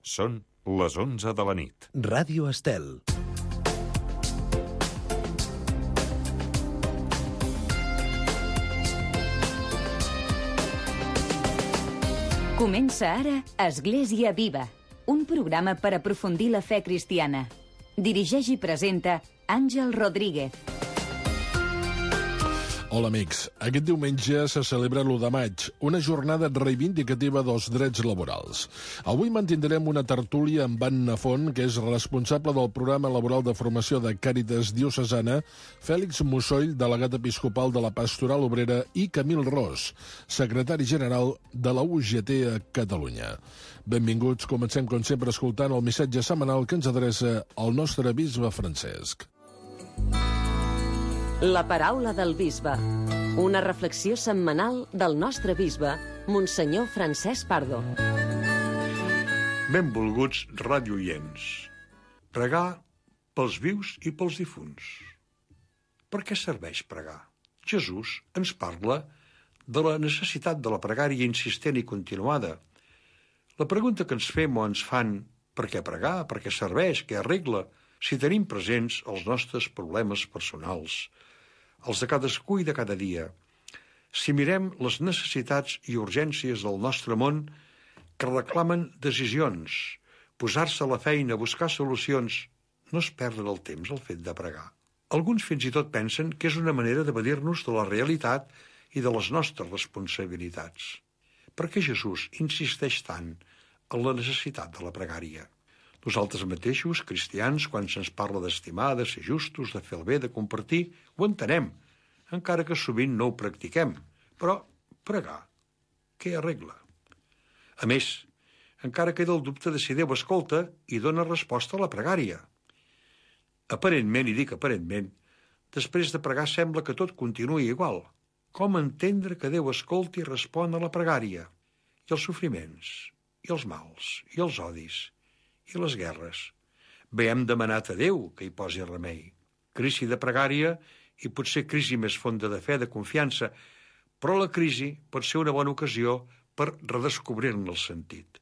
Són les 11 de la nit. Ràdio Estel. Comença ara Església Viva, un programa per aprofundir la fe cristiana. Dirigeix i presenta Àngel Rodríguez. Hola, amics. Aquest diumenge se celebra l'1 de maig, una jornada reivindicativa dels drets laborals. Avui mantindrem una tertúlia amb Anna Font, que és responsable del programa laboral de formació de Càritas Diocesana, Fèlix Mussoll, delegat episcopal de la Pastoral Obrera, i Camil Ros, secretari general de la UGT a Catalunya. Benvinguts. Comencem, com sempre, escoltant el missatge setmanal que ens adreça el nostre bisbe Francesc. La paraula del bisbe. Una reflexió setmanal del nostre bisbe, Monsenyor Francesc Pardo. Benvolguts radioients. Pregar pels vius i pels difunts. Per què serveix pregar? Jesús ens parla de la necessitat de la pregària insistent i continuada. La pregunta que ens fem o ens fan, per què pregar, per què serveix, què arregla, si tenim presents els nostres problemes personals, els de cadascú i de cada dia. Si mirem les necessitats i urgències del nostre món que reclamen decisions, posar-se a la feina, buscar solucions, no es perdre el temps el fet de pregar. Alguns fins i tot pensen que és una manera d'evadir-nos de la realitat i de les nostres responsabilitats. Per què Jesús insisteix tant en la necessitat de la pregària? Nosaltres mateixos, cristians, quan se'ns parla d'estimar, de ser justos, de fer el bé, de compartir, ho entenem, encara que sovint no ho practiquem. Però pregar, què arregla? A més, encara queda el dubte de si Déu escolta i dona resposta a la pregària. Aparentment, i dic aparentment, després de pregar sembla que tot continuï igual. Com entendre que Déu escolta i respon a la pregària? I els sofriments, i els mals, i els odis, i les guerres. Bé, hem demanat a Déu que hi posi remei. Crisi de pregària i potser crisi més fonda de fe, de confiança, però la crisi pot ser una bona ocasió per redescobrir-ne el sentit.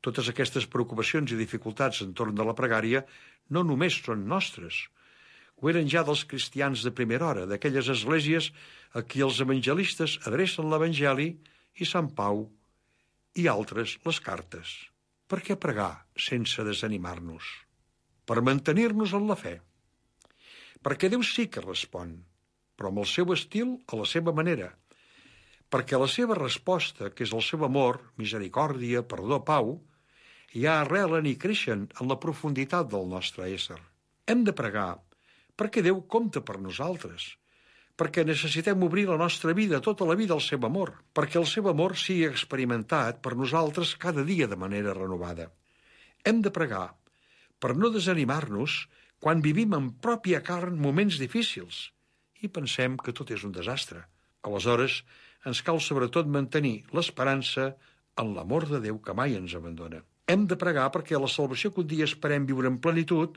Totes aquestes preocupacions i dificultats entorn de la pregària no només són nostres. Ho eren ja dels cristians de primera hora, d'aquelles esglésies a qui els evangelistes adrecen l'Evangeli i Sant Pau i altres les cartes. Per què pregar sense desanimar-nos? Per mantenir-nos en la fe. Perquè Déu sí que respon, però amb el seu estil, a la seva manera. Perquè la seva resposta, que és el seu amor, misericòrdia, perdó, pau, ja arrelen i creixen en la profunditat del nostre ésser. Hem de pregar perquè Déu compta per nosaltres, perquè necessitem obrir la nostra vida, tota la vida, al seu amor, perquè el seu amor sigui experimentat per nosaltres cada dia de manera renovada. Hem de pregar per no desanimar-nos quan vivim en pròpia carn moments difícils i pensem que tot és un desastre. Aleshores, ens cal sobretot mantenir l'esperança en l'amor de Déu que mai ens abandona. Hem de pregar perquè la salvació que un dia esperem viure en plenitud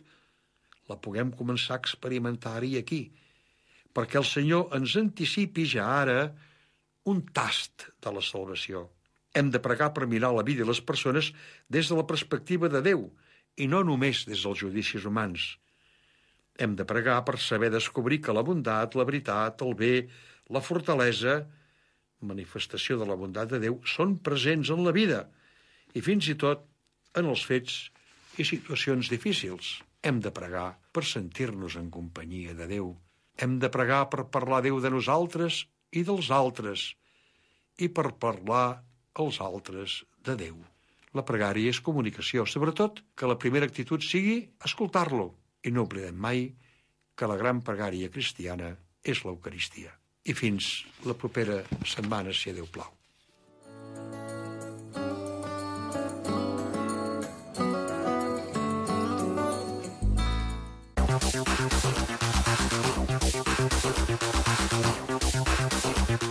la puguem començar a experimentar i aquí, perquè el Senyor ens anticipi ja ara un tast de la salvació. Hem de pregar per mirar la vida i les persones des de la perspectiva de Déu i no només des dels judicis humans. Hem de pregar per saber descobrir que la bondat, la veritat, el bé, la fortalesa, manifestació de la bondat de Déu, són presents en la vida i fins i tot en els fets i situacions difícils. Hem de pregar per sentir-nos en companyia de Déu. Hem de pregar per parlar a Déu de nosaltres i dels altres i per parlar als altres de Déu. La pregària és comunicació, sobretot que la primera actitud sigui escoltar-lo i no oblidem mai que la gran pregària cristiana és l'Eucaristia. I fins la propera setmana, si a Déu plau.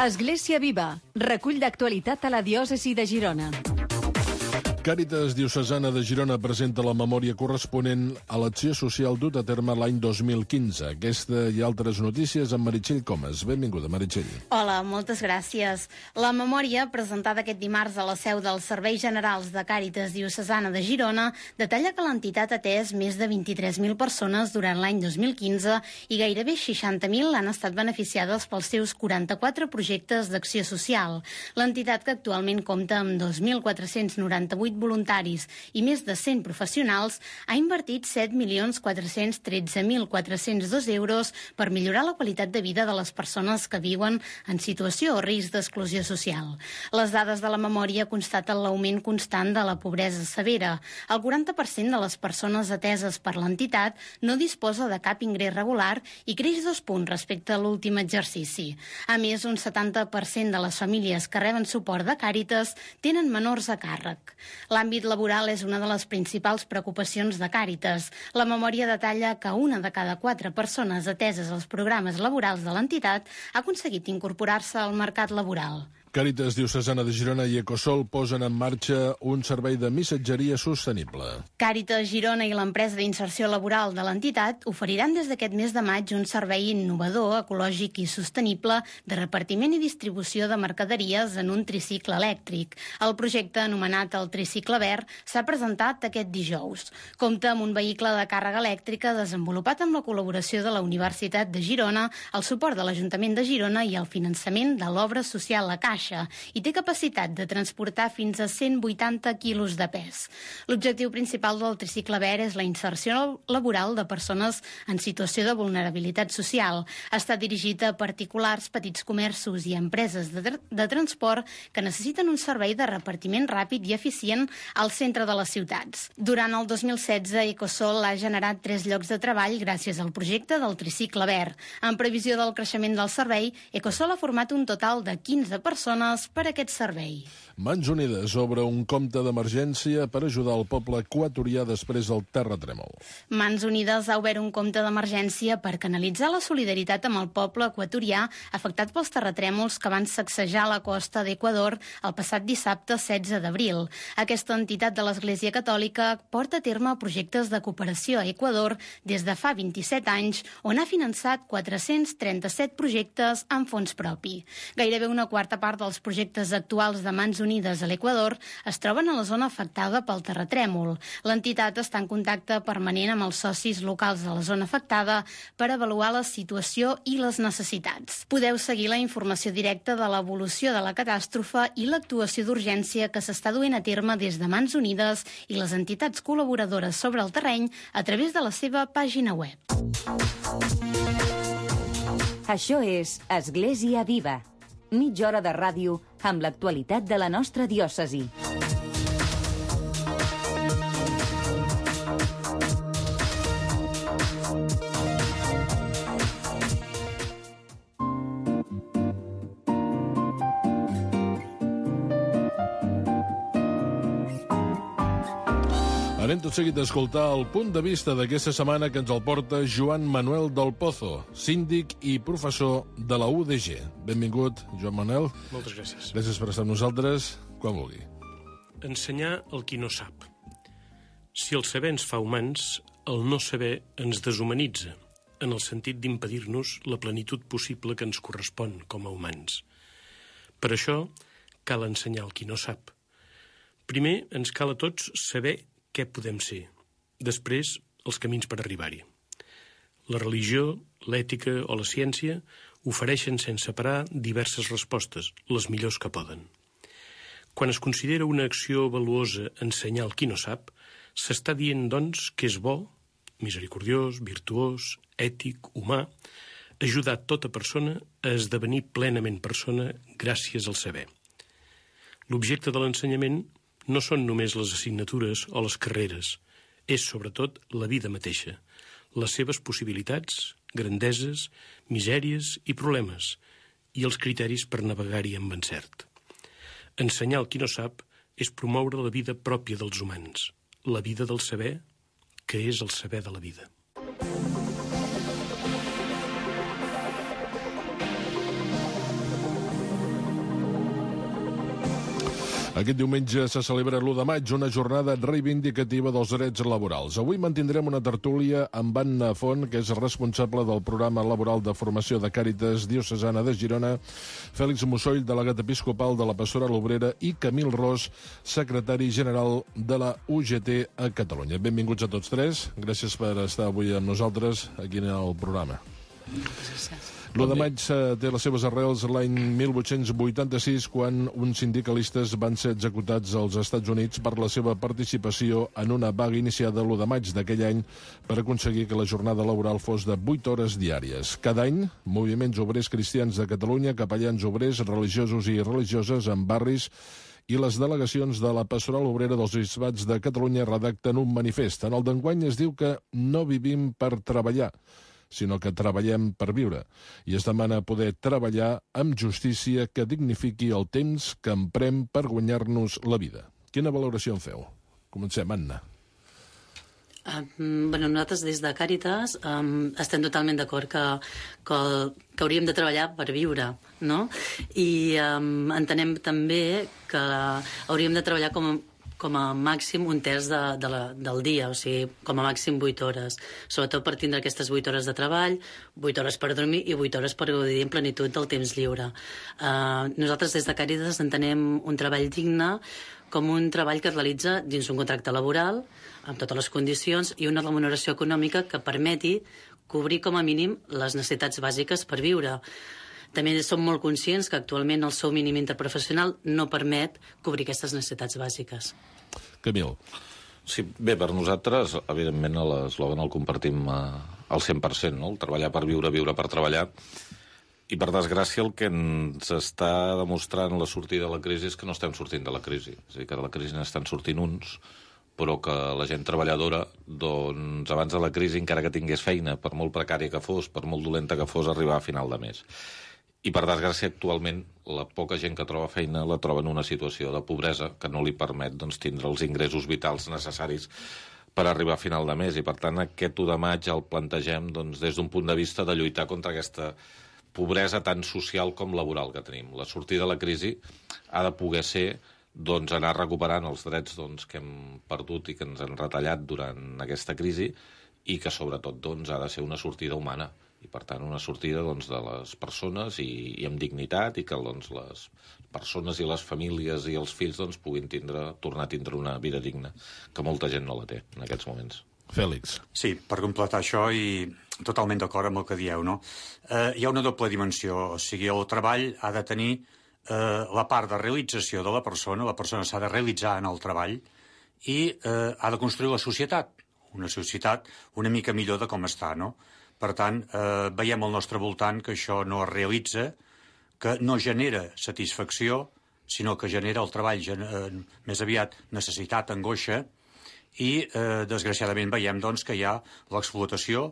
Església Viva, recull d'actualitat a la diòcesi de Girona. Càritas Diocesana de Girona presenta la memòria corresponent a l'acció social dut a terme l'any 2015. Aquesta i altres notícies amb Meritxell Comas. Benvinguda, Meritxell. Hola, moltes gràcies. La memòria, presentada aquest dimarts a la seu dels Serveis Generals de Càritas Diocesana de Girona, detalla que l'entitat ha atès més de 23.000 persones durant l'any 2015 i gairebé 60.000 han estat beneficiades pels seus 44 projectes d'acció social. L'entitat, que actualment compta amb 2.498 voluntaris i més de 100 professionals, ha invertit 7.413.402 euros per millorar la qualitat de vida de les persones que viuen en situació o risc d'exclusió social. Les dades de la memòria constaten l'augment constant de la pobresa severa. El 40% de les persones ateses per l'entitat no disposa de cap ingrés regular i creix 2 punts respecte a l'últim exercici. A més, un 70% de les famílies que reben suport de Càritas tenen menors a càrrec. L'àmbit laboral és una de les principals preocupacions de Càritas. La memòria detalla que 1 de cada 4 persones ateses als programes laborals de l'entitat ha aconseguit incorporar-se al mercat laboral. Càritas Diocesana de Girona i Ecosol posen en marxa un servei de missatgeria sostenible. Càritas Girona i l'empresa d'inserció laboral de l'entitat oferiran des d'aquest mes de maig un servei innovador, ecològic i sostenible de repartiment i distribució de mercaderies en un tricicle elèctric. El projecte, anomenat el Tricicle Verd, s'ha presentat aquest dijous. Compta amb un vehicle de càrrega elèctrica desenvolupat amb la col·laboració de la Universitat de Girona, el suport de l'Ajuntament de Girona i el finançament de l'obra social La Caixa, i té capacitat de transportar fins a 180 quilos de pes. L'objectiu principal del Tricicle Verd és la inserció laboral de persones en situació de vulnerabilitat social. Està dirigit a particulars, petits comerços i empreses de transport que necessiten un servei de repartiment ràpid i eficient al centre de les ciutats. Durant el 2016, Ecosol ha generat 3 llocs de treball gràcies al projecte del Tricicle Verd. En previsió del creixement del servei, Ecosol ha format un total de 15 persones per aquest servei. Mans Unides obre un compte d'emergència per ajudar el poble equatorià després del terratrèmol. Mans Unides ha obert un compte d'emergència per canalitzar la solidaritat amb el poble equatorià afectat pels terratrèmols que van sacsejar la costa d'Equador el passat dissabte 16 d'abril. Aquesta entitat de l'Església Catòlica porta a terme projectes de cooperació a Equador des de fa 27 anys, on ha finançat 437 projectes amb fons propi. Gairebé una quarta part dels projectes actuals de Mans Unides a l'Equador es troben a la zona afectada pel terratrèmol. L'entitat està en contacte permanent amb els socis locals de la zona afectada per avaluar la situació i les necessitats. Podeu seguir la informació directa de l'evolució de la catàstrofe i l'actuació d'urgència que s'està duent a terme des de Mans Unides i les entitats col·laboradores sobre el terreny a través de la seva pàgina web. Això és Església Viva. Mitja hora de ràdio amb l'actualitat de la nostra diòcesi. Anem tot seguit a escoltar el punt de vista d'aquesta setmana que ens el porta Joan Manuel del Pozo, síndic i professor de la UDG. Benvingut, Joan Manuel. Moltes gràcies. Gràcies per estar amb nosaltres. Quan vulgui. Ensenyar el qui no sap. Si el saber ens fa humans, el no saber ens deshumanitza, en el sentit d'impedir-nos la plenitud possible que ens correspon com a humans. Per això cal ensenyar el qui no sap. Primer ens cal a tots saber què podem ser. Després, els camins per arribar-hi. La religió, l'ètica o la ciència ofereixen sense parar diverses respostes, les millors que poden. Quan es considera una acció valuosa ensenyar el qui no sap, s'està dient, doncs, que és bo, misericordiós, virtuós, ètic, humà, ajudar tota persona a esdevenir plenament persona gràcies al saber. L'objecte de l'ensenyament no són només les assignatures o les carreres, és sobretot la vida mateixa, les seves possibilitats, grandeses, misèries i problemes, i els criteris per navegar-hi amb encert. Ensenyar el qui no sap és promoure la vida pròpia dels humans, la vida del saber, que és el saber de la vida. Aquest diumenge se celebra l'1 de maig, una jornada reivindicativa dels drets laborals. Avui mantindrem una tertúlia amb Anna Font, que és responsable del programa laboral de formació de Càritas Diocesana de Girona, Fèlix Mussoll, delegat episcopal de la Pastoral Obrera, i Camil Ros, secretari general de la UGT a Catalunya. Benvinguts a tots tres. Gràcies per estar avui amb nosaltres aquí en el programa. L'1 de maig té les seves arrels l'any 1886, quan uns sindicalistes van ser executats als Estats Units per la seva participació en una vaga iniciada l'1 de maig d'aquell any per aconseguir que la jornada laboral fos de 8 hores diàries. Cada any, moviments obrers cristians de Catalunya, capellans obrers, religiosos i religioses en barris i les delegacions de la Pastoral Obrera dels Bisbats de Catalunya redacten un manifest. En el d'enguany es diu que no vivim per treballar, sinó que treballem per viure, i es demana poder treballar amb justícia que dignifiqui el temps que emprem per guanyar-nos la vida. Quina valoració en feu? Comencem, Anna. Nosaltres des de Càritas estem totalment d'acord que hauríem de treballar per viure, no? I entenem també que hauríem de treballar com a màxim un terç del dia, o sigui, com a màxim 8 hores, sobretot per tindre aquestes 8 hores de treball, 8 hores per dormir i 8 hores per gaudir en plenitud del temps lliure. Nosaltres des de Càritas entenem un treball digne com un treball que es realitza dins un contracte laboral, amb totes les condicions, i una remuneració econòmica que permeti cobrir com a mínim les necessitats bàsiques per viure. També som molt conscients que actualment el sou mínim interprofessional no permet cobrir aquestes necessitats bàsiques. Camil. Sí, bé, per nosaltres, evidentment, l'eslògan el compartim al 100%, no? El treballar per viure, viure per treballar. I, per desgràcia, el que ens està demostrant la sortida de la crisi és que no estem sortint de la crisi. És a dir, que de la crisi n'estan sortint uns, però que la gent treballadora, doncs, abans de la crisi, encara que tingués feina, per molt precària que fos, per molt dolenta que fos, arribar a final de mes. I, per desgràcia, actualment, la poca gent que troba feina la troba en una situació de pobresa que no li permet, doncs, tindre els ingressos vitals necessaris per arribar a final de mes. I, per tant, aquest 1 de maig el plantegem, doncs, des d'un punt de vista de lluitar contra aquesta pobresa tant social com laboral que tenim. La sortida de la crisi ha de poder ser, doncs, anar recuperant els drets, doncs, que hem perdut i que ens han retallat durant aquesta crisi, i que, sobretot, doncs, ha de ser una sortida humana. I, per tant, una sortida, doncs, de les persones i amb dignitat, i que, doncs, les persones i les famílies i els fills, doncs, puguin tornar a tindre una vida digna, que molta gent no la té en aquests moments. Fèlix. Sí, per completar això, i totalment d'acord amb el que dieu, no? Hi ha una doble dimensió, o sigui, el treball ha de tenir la part de realització de la persona s'ha de realitzar en el treball i ha de construir la societat, una societat una mica millor de com està, no? Per tant, veiem al nostre voltant que això no es realitza, que no genera satisfacció, sinó que genera el treball més aviat necessitat, angoixa, i desgraciadament veiem, doncs, que hi ha l'explotació,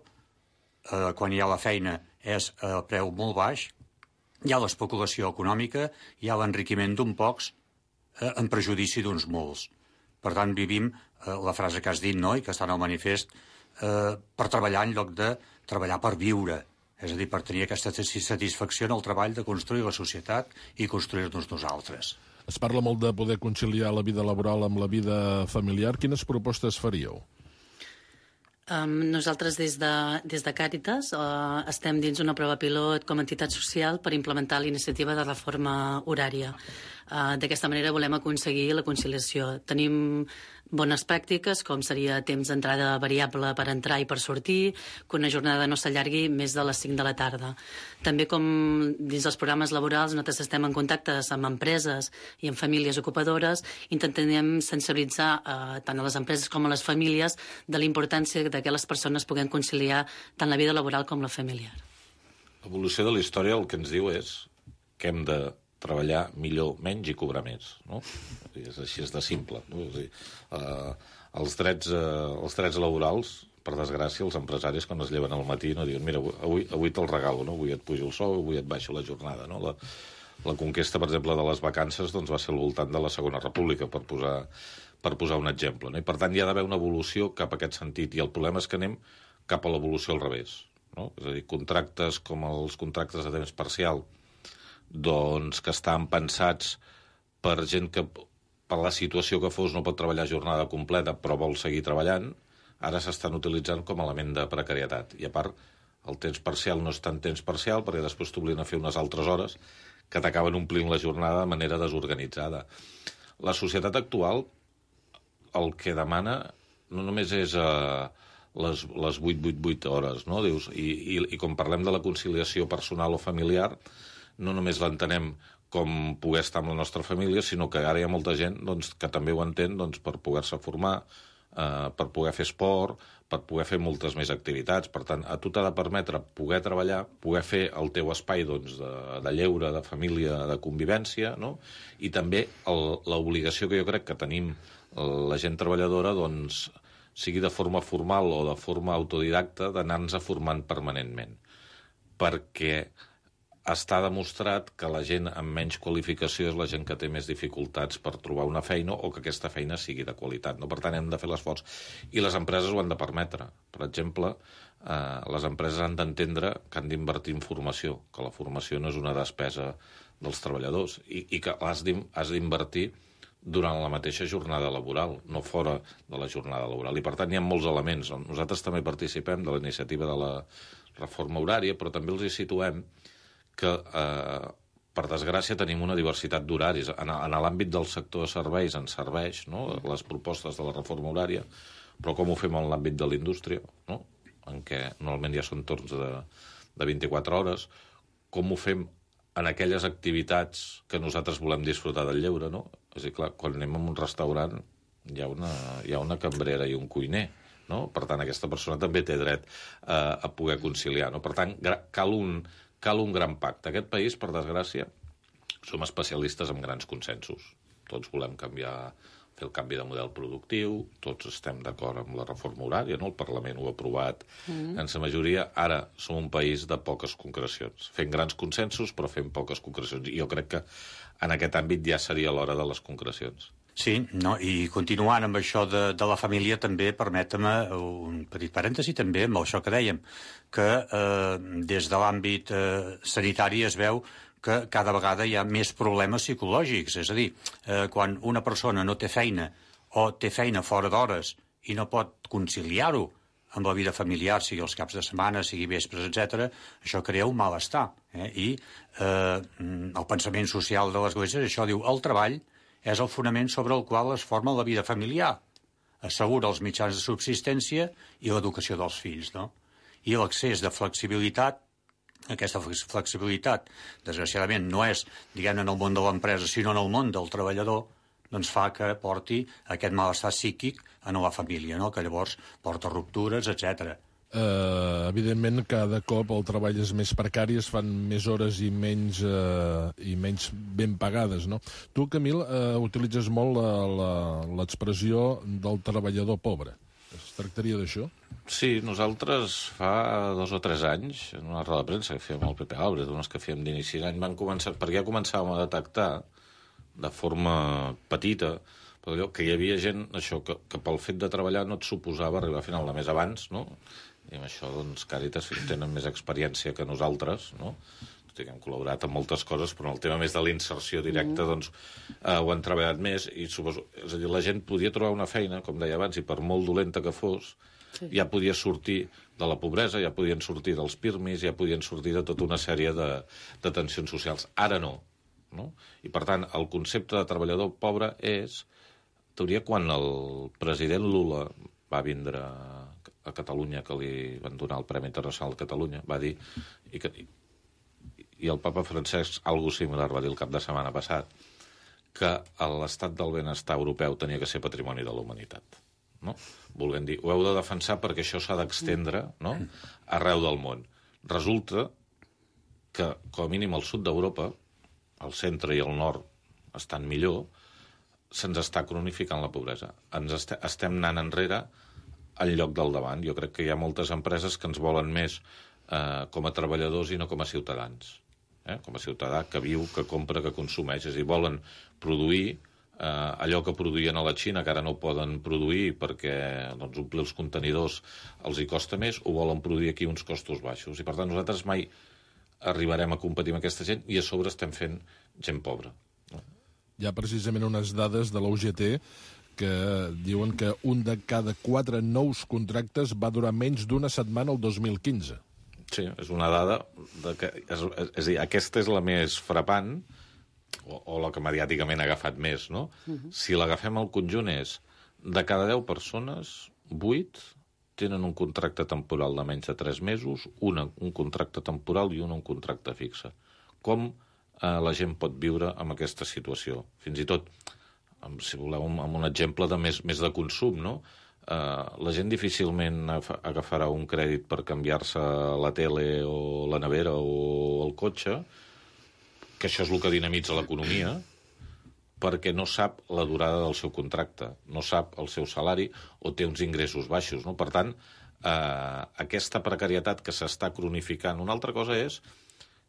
quan hi ha la feina és a preu molt baix, hi ha l'especulació econòmica, hi ha l'enriquiment d'un pocs en prejudici d'uns molts. Per tant, vivim la frase que has dit, no?, i que està en el manifest, per treballar en lloc de treballar per viure, és a dir, per tenir aquesta satisfacció en el treball de construir la societat i construir-nos nosaltres. Es parla molt de poder conciliar la vida laboral amb la vida familiar. Quines propostes faríeu? Nosaltres des de Càritas estem dins una prova pilot com a entitat social per implementar l'iniciativa de reforma horària. D'aquesta manera volem aconseguir la conciliació. Tenim bones pràctiques, com seria temps d'entrada variable per entrar i per sortir, que una jornada no s'allargui més de les 5 de la tarda. També, com dins dels programes laborals, nosaltres estem en contacte amb empreses i amb famílies ocupadores, intentem sensibilitzar tant a les empreses com a les famílies de la importància que les persones puguin conciliar tant la vida laboral com la familiar. L'evolució de la història el que ens diu és que hem de treballar millor, menys i cobrar més, no? És així, és de simple, no? És a dir, els drets laborals, per desgràcia, els empresaris quan es lleven al matí no diuen, mira, avui te'l regalo, no? Avui et pujo el sou, avui et baixo la jornada, no? La conquesta, per exemple, de les vacances doncs, va ser al voltant de la Segona República, per posar un exemple, no? I per tant hi ha d'haver una evolució cap a aquest sentit, i el problema és que anem cap a l'evolució al revés, no? És a dir, contractes com els contractes de temps parcial, doncs que estan pensats per gent que per la situació que fos no pot treballar jornada completa però vol seguir treballant, ara s'estan utilitzant com a element de precarietat. I a part, el temps parcial no és tant temps parcial perquè després t'obliguen a fer unes altres hores que t'acaben omplint la jornada de manera desorganitzada. La societat actual el que demana no només és les 8-8-8 hores, no? Dius, i com parlem de la conciliació personal o familiar, no només l'entenem com poder estar amb la nostra família, sinó que ara hi ha molta gent doncs, que també ho entén doncs, per poder-se formar, per poder fer esport, per poder fer moltes més activitats. Per tant, a tu t'ha de permetre poder treballar, poder fer el teu espai doncs, de lleure, de família, de convivència, no? I també l'obligació que jo crec que tenim la gent treballadora, doncs, sigui de forma formal o de forma autodidacta, d'anar-nos formant permanentment. Perquè està demostrat que la gent amb menys qualificació és la gent que té més dificultats per trobar una feina o que aquesta feina sigui de qualitat. No? Per tant, hem de fer l'esforç. I les empreses ho han de permetre. Per exemple, les empreses han d'entendre que han d'invertir en formació, que la formació no és una despesa dels treballadors i que has d'invertir durant la mateixa jornada laboral, no fora de la jornada laboral. I, per tant, hi ha molts elements. Nosaltres també participem de la iniciativa de la reforma horària, però també els hi situem que, per desgràcia, tenim una diversitat d'horaris. En l'àmbit del sector de serveis ens serveix, no?, les propostes de la reforma horària, però com ho fem en l'àmbit de la indústria, no?, en què normalment ja són torns de 24 hores, com ho fem en aquelles activitats que nosaltres volem disfrutar del lleure, no? És a dir, clar, quan anem a un restaurant hi ha una cambrera i un cuiner, no? Per tant, aquesta persona també té dret a poder conciliar, no? Per tant, cal un gran pacte. Aquest país, per desgràcia, som especialistes en grans consensos. Tots volem fer el canvi de model productiu, tots estem d'acord amb la reforma horària, no? El Parlament ho ha aprovat en sa majoria. Ara som un país de poques concrecions. Fem grans consensos, però fem poques concrecions. I jo crec que en aquest àmbit ja seria l'hora de les concrecions. Sí, no, i continuant amb això de la família, també permetem-me un petit parèntesi també amb això que dèiem, que des de l'àmbit sanitari es veu que cada vegada hi ha més problemes psicològics. És a dir, quan una persona no té feina o té feina fora d'hores i no pot conciliar-ho amb la vida familiar, sigui els caps de setmana, sigui vespres, etc., això crea un malestar. I el pensament social de l'Església, això diu, el treball és el fonament sobre el qual es forma la vida familiar, assegura els mitjans de subsistència i l'educació dels fills, no? I l'accés de flexibilitat, aquesta flexibilitat, desgraciadament, no és, diguem-ne, en el món de l'empresa, sinó en el món del treballador, doncs fa que porti aquest malestar psíquic en la família, no? Que llavors porta ruptures, etc. Evidentment, cada cop el treball és més precari, es fan més hores i menys ben pagades, no? Tu, Camil, utilitzes molt l'expressió del treballador pobre. Es tractaria d'això? Sí, nosaltres fa 2 o 3 anys, en una roda de premsa que fèiem al PP Álvarez, d'unes que fèiem d'inici d'any, perquè ja començàvem a detectar de forma petita però allò, que hi havia gent això, que pel fet de treballar no et suposava arribar a final de mes abans, no? I amb això, doncs, Càritas tenen més experiència que nosaltres, no? Hem col·laborat en moltes coses, però en el tema més de la inserció directa, doncs, ho han treballat més, i suposo, és a dir, la gent podia trobar una feina, com deia abans, i per molt dolenta que fos, ja podia sortir de la pobresa, ja podien sortir dels pirmis, ja podien sortir de tota una sèrie de tensions socials. Ara no. I, per tant, el concepte de treballador pobre és, en teoria, quan el president Lula va vindre a Catalunya, que li van donar el Premi Internacional de Catalunya, va dir, i el papa Francesc, algo similar, va dir el cap de setmana passat, que l'estat del benestar europeu tenia que ser patrimoni de la humanitat. No? Volent dir, ho heu de defensar perquè això s'ha d'extendre, no?, arreu del món. Resulta que, com a mínim, al sud d'Europa, el centre i el nord estan millor, se'ns està cronificant la pobresa. Estem anant enrere en lloc del davant. Jo crec que hi ha moltes empreses que ens volen més com a treballadors i no com a ciutadans. Com a ciutadà que viu, que compra, que consumeix. És a dir, volen produir allò que produïen a la Xina, que ara no poden produir perquè doncs, omplir els contenidors els hi costa més, o volen produir aquí uns costos baixos. I, per tant, nosaltres mai arribarem a competir amb aquesta gent i a sobre estem fent gent pobra. Hi ha precisament unes dades de la UGT que diuen que un de cada 4 nous contractes va durar menys d'una setmana el 2015. Sí, és una dada és a dir, aquesta és la més frapant o la que mediàticament ha agafat més, no? Si l'agafem al conjunt és de cada 10 persones, 8 tenen un contracte temporal de menys de 3 mesos, un contracte temporal i un contracte fixe. Com la gent pot viure amb aquesta situació? Fins i tot, si voleu, amb un exemple de més de consum, no? La gent difícilment agafarà un crèdit per canviar-se la tele o la nevera o el cotxe, que això és el que dinamitza l'economia, perquè no sap la durada del seu contracte, no sap el seu salari o té uns ingressos baixos, no? Per tant, aquesta precarietat que s'està cronificant. Una altra cosa és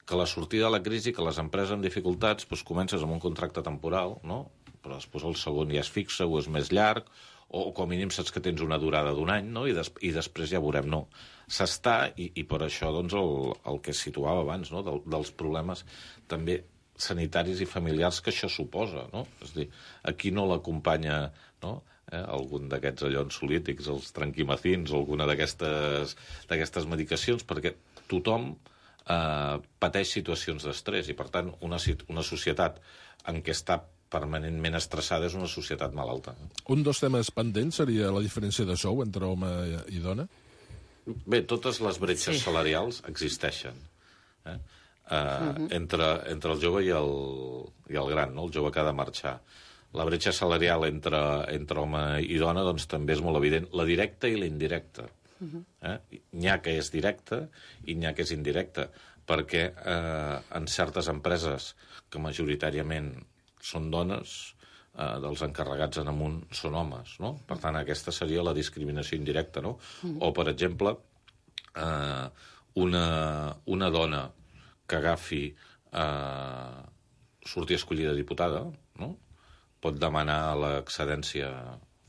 que la sortida de la crisi, que les empreses amb dificultats, doncs comences amb un contracte temporal, no? Però després el segon ja és fixe o és més llarg, o com a mínim saps que tens una durada d'un any, no? I després ja veurem, no. S'està, i per això doncs, el que situava abans, no? Dels problemes també sanitaris i familiars que això suposa, no? És a dir, aquí no l'acompanya, no? Algun d'aquests allò ansiolítics, els tranquimacins o alguna d'aquestes medicacions, perquè tothom pateix situacions d'estrès i, per tant, una societat en què està permanentment estressada és una societat malalta. Un dels temes pendents seria la diferència de sou entre home i dona? Bé, totes les bretxes salarials existeixen. Entre el jove i el gran, no? El jove que ha de marxar. La bretxa salarial entre home i dona doncs, també és molt evident. La directa i la indirecta. N'hi ha que és directa i n'hi ha que és indirecta, perquè en certes empreses que majoritàriament són dones, dels encarregats en amunt són homes, no? Per tant, aquesta seria la discriminació indirecta, no? O, per exemple, una dona que agafi sortir escollida diputada, no? Pot demanar l'excedència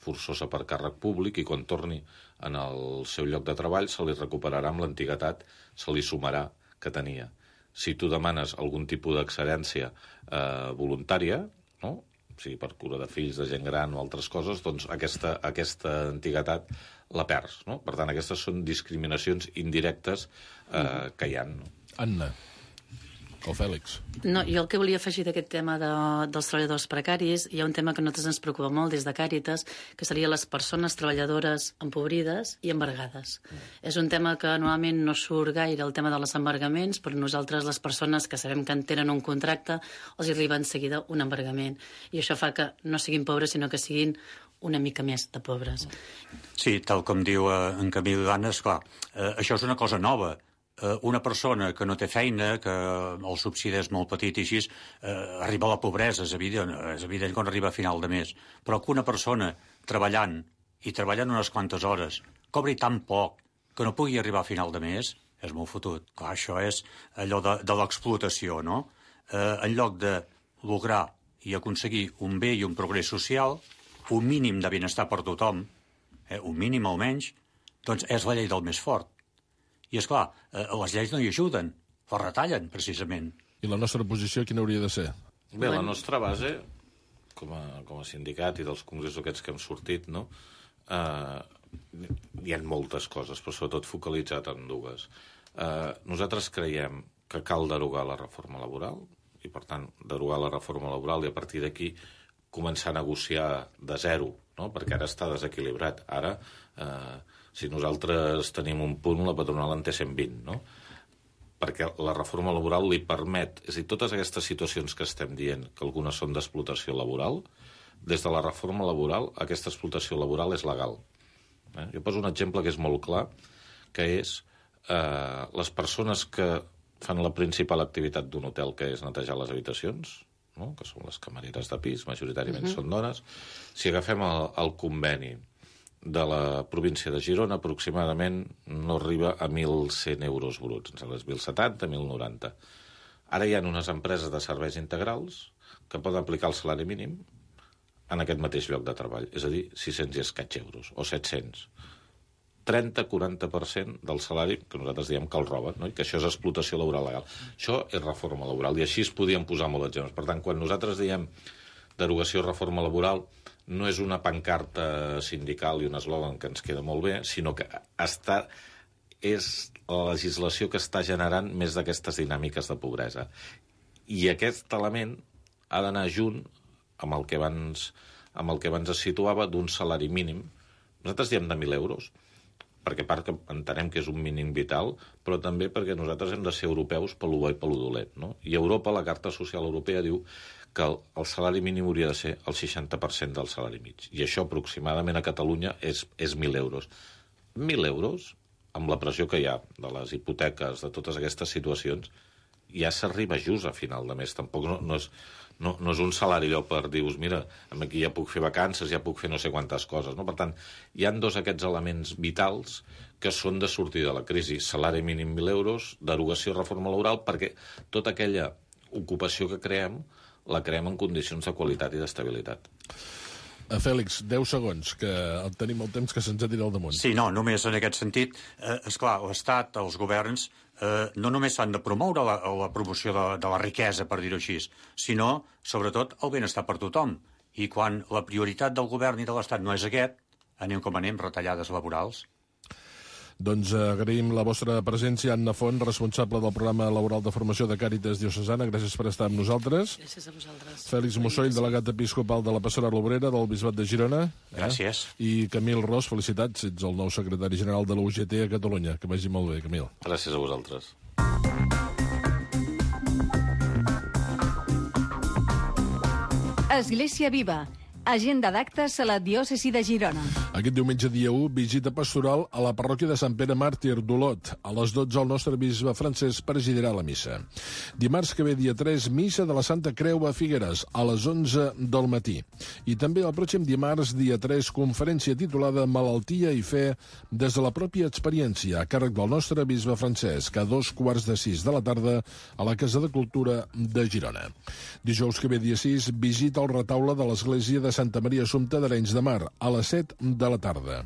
forçosa per càrrec públic i quan torni en el seu lloc de treball se li recuperarà amb l'antiguitat, se li sumarà que tenia. Si tu demanes algun tipus d'excedència voluntària, no? O sigui, per cura de fills, de gent gran o altres coses, doncs aquesta antiguitat la perds, no? Per tant, aquestes són discriminacions indirectes que hi ha. No? Anna. O Fèlix. No, jo el que volia afegir d'aquest tema dels treballadors precaris, hi ha un tema que a nosaltres ens preocupa molt des de Càritas, que seria les persones treballadores empobrides i embargades. És un tema que normalment no surt gaire, el tema de els embargaments, però nosaltres, les persones que sabem que en tenen un contracte, els arriba en seguida un embargament. I això fa que no siguin pobres, sinó que siguin una mica més de pobres. Sí, tal com diu en Camil Danes, clar, això és una cosa nova. Una persona que no té feina, que el subsidi és molt petit i així, arriba a la pobresa, és evident quan arriba a final de mes. Però que una persona treballant unes quantes hores cobri tan poc que no pugui arribar a final de mes, és molt fotut. Clar, això és allò de l'explotació, no? En lloc de lograr i aconseguir un bé i un progrés social, un mínim de benestar per tothom, un mínim almenys, doncs és la llei del més fort. I, esclar, les lleis no hi ajuden, les retallen, precisament. I la nostra posició quina hauria de ser? Bé, la nostra base, com a sindicat i dels congressos aquests que hem sortit, no? Hi ha moltes coses, però sobretot focalitzat en dues. Nosaltres creiem que cal derogar la reforma laboral, i, per tant, derogar la reforma laboral i, a partir d'aquí, començar a negociar de zero, no? Perquè ara està desequilibrat. Ara... si nosaltres tenim un punt, la patronal en té 120, no? Perquè la reforma laboral li permet... És a dir, totes aquestes situacions que estem dient, que algunes són d'explotació laboral, des de la reforma laboral, aquesta explotació laboral és legal. Jo poso un exemple que és molt clar, que és les persones que fan la principal activitat d'un hotel, que és netejar les habitacions, no? Que són les camareres de pis, majoritàriament són dones. Si agafem el conveni de la província de Girona, aproximadament no arriba a 1.100 euros bruts, ens sembla 1.070, 1.090. Ara hi ha unes empreses de serveis integrals que poden aplicar el salari mínim en aquest mateix lloc de treball, és a dir, 600 i escaig euros, o 700. 30-40% del salari que nosaltres diem que el roben, no? I que això és explotació laboral legal. Això és reforma laboral, i així es podien posar molts exemples. Per tant, quan nosaltres diem derogació reforma laboral, no és una pancarta sindical i un eslògan que ens queda molt bé, sinó que és la legislació que està generant més d'aquestes dinàmiques de pobresa. I aquest element ha d'anar junt amb el que abans es situava d'un salari mínim. Nosaltres diem de 1.000 euros, perquè part que entenem que és un mínim vital, però també perquè nosaltres hem de ser europeus pel bo i pel dolent, no? I Europa, la Carta Social Europea, diu que el salari mínim hauria de ser el 60% del salari mig. I això aproximadament a Catalunya és 1.000 euros. 1.000 euros, amb la pressió que hi ha de les hipoteques, de totes aquestes situacions, ja s'arriba just a final de mes. Tampoc no és un salari allò per dir-vos, mira, aquí ja puc fer vacances, ja puc fer no sé quantes coses, no? Per tant, hi han dos aquests elements vitals que són de sortir de la crisi. Salari mínim 1.000 euros, derogació reforma laboral, perquè tota aquella ocupació que creem la creem en condicions de qualitat i d'estabilitat. Fèlix, 10 segons, que tenim el temps que se'ns ha tirat al damunt. Sí, no, només en aquest sentit, esclar, l'Estat, els governs, no només s'han de promoure la promoció de la riquesa, per dir-ho així, sinó, sobretot, el benestar per tothom. I quan la prioritat del govern i de l'Estat no és aquest, anem com anem, retallades laborals. Doncs agraïm la vostra presència, Anna Font, responsable del programa laboral de formació de Càritas Diocesana. Gràcies per estar amb nosaltres. Gràcies a vosaltres. Fèlix Mussoll, delegat episcopal de la Pastorela Obrera del Bisbat de Girona. Gràcies. I Camil Ros, felicitats, ets el nou secretari general de la UGT a Catalunya. Que vagi molt bé, Camil. Gràcies a vosaltres. Església Viva. Agenda d'actes a la diòcesi de Girona. Aquest diumenge, dia 1, visita pastoral a la parròquia de Sant Pere Màrtir d'Olot. A les 12, el nostre bisbe Francesc presidirà la missa. Dimarts que ve, dia 3, missa de la Santa Creu a Figueres, a les 11 del matí. I també el pròxim dimarts, dia 3, conferència titulada Malaltia i fe des de la pròpia experiència, a càrrec del nostre bisbe Francesc, a 5:45 de la tarda a la Casa de Cultura de Girona. Dijous que ve, dia 6, visita al retaule de l'església de Santa Maria Assumpta d'Arenys de Mar, a les 7 de la tarda.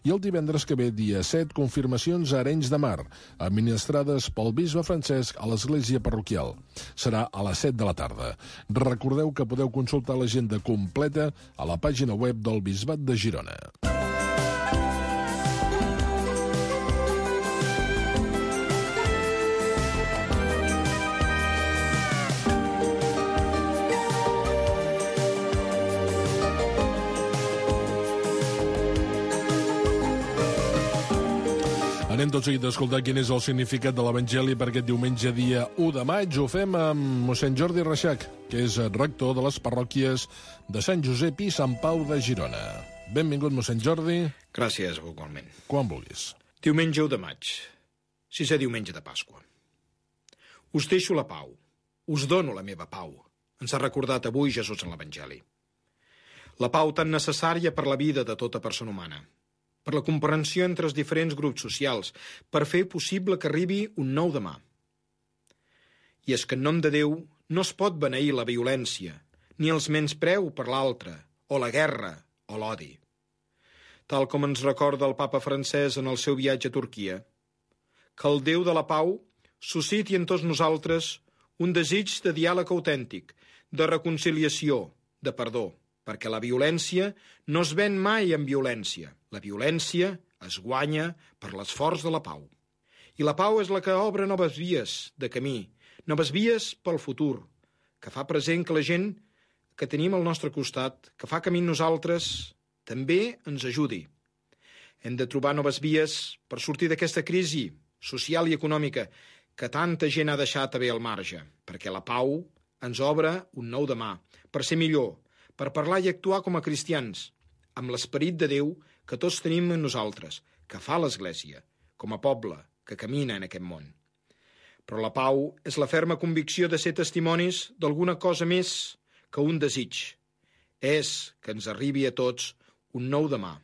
I el divendres que ve, dia 7, confirmacions a Arenys de Mar, administrades pel bisbe Francesc a l'església parroquial. Serà a les 7 de la tarda. Recordeu que podeu consultar l'agenda completa a la pàgina web del Bisbat de Girona. Anem tot seguit a escoltar quin és el significat de l'Evangeli per aquest diumenge, dia 1 de maig. Ho fem amb mossèn Jordi Reixac, que és rector de les parròquies de Sant Josep i Sant Pau de Girona. Benvingut, mossèn Jordi. Gràcies, igualment. Quan vulguis. Diumenge 1 de maig, 6è diumenge de Pasqua. Us deixo la pau, us dono la meva pau, ens ha recordat avui Jesús en l'Evangeli. La pau tan necessària per la vida de tota persona humana, per la comprensió entre els diferents grups socials, per fer possible que arribi un nou demà. I és que en nom de Déu no es pot beneir la violència, ni els menyspreu per l'altre, o la guerra, o l'odi. Tal com ens recorda el papa francès en el seu viatge a Turquia, que el Déu de la pau susciti en tots nosaltres un desig de diàleg autèntic, de reconciliació, de perdó, perquè la violència no es ven mai amb violència. La violència es guanya per l'esforç de la pau. I la pau és la que obre noves vies de camí, noves vies pel futur, que fa present que la gent que tenim al nostre costat, que fa camí nosaltres, també ens ajudi. Hem de trobar noves vies per sortir d'aquesta crisi social i econòmica que tanta gent ha deixat haver al marge, perquè la pau ens obre un nou demà, per ser millor, per parlar i actuar com a cristians, amb l'esperit de Déu que tots tenim en nosaltres, que fa l'Església, com a poble que camina en aquest món. Però la pau és la ferma convicció de ser testimonis d'alguna cosa més que un desig. És que ens arribi a tots un nou demà,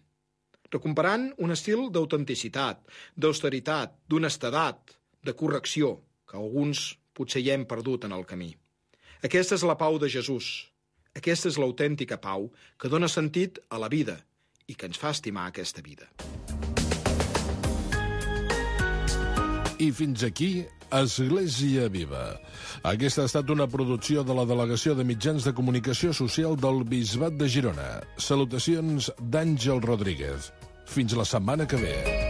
recuperant un estil d'autenticitat, d'austeritat, d'honestedat, de correcció, que alguns potser ja hem perdut en el camí. Aquesta és la pau de Jesús. Aquesta és l'autèntica pau que dona sentit a la vida i que ens fa estimar aquesta vida. I fins aquí, Església Viva. Aquesta ha estat una producció de la Delegació de Mitjans de Comunicació Social del Bisbat de Girona. Salutacions d'Àngel Rodríguez. Fins la setmana que ve.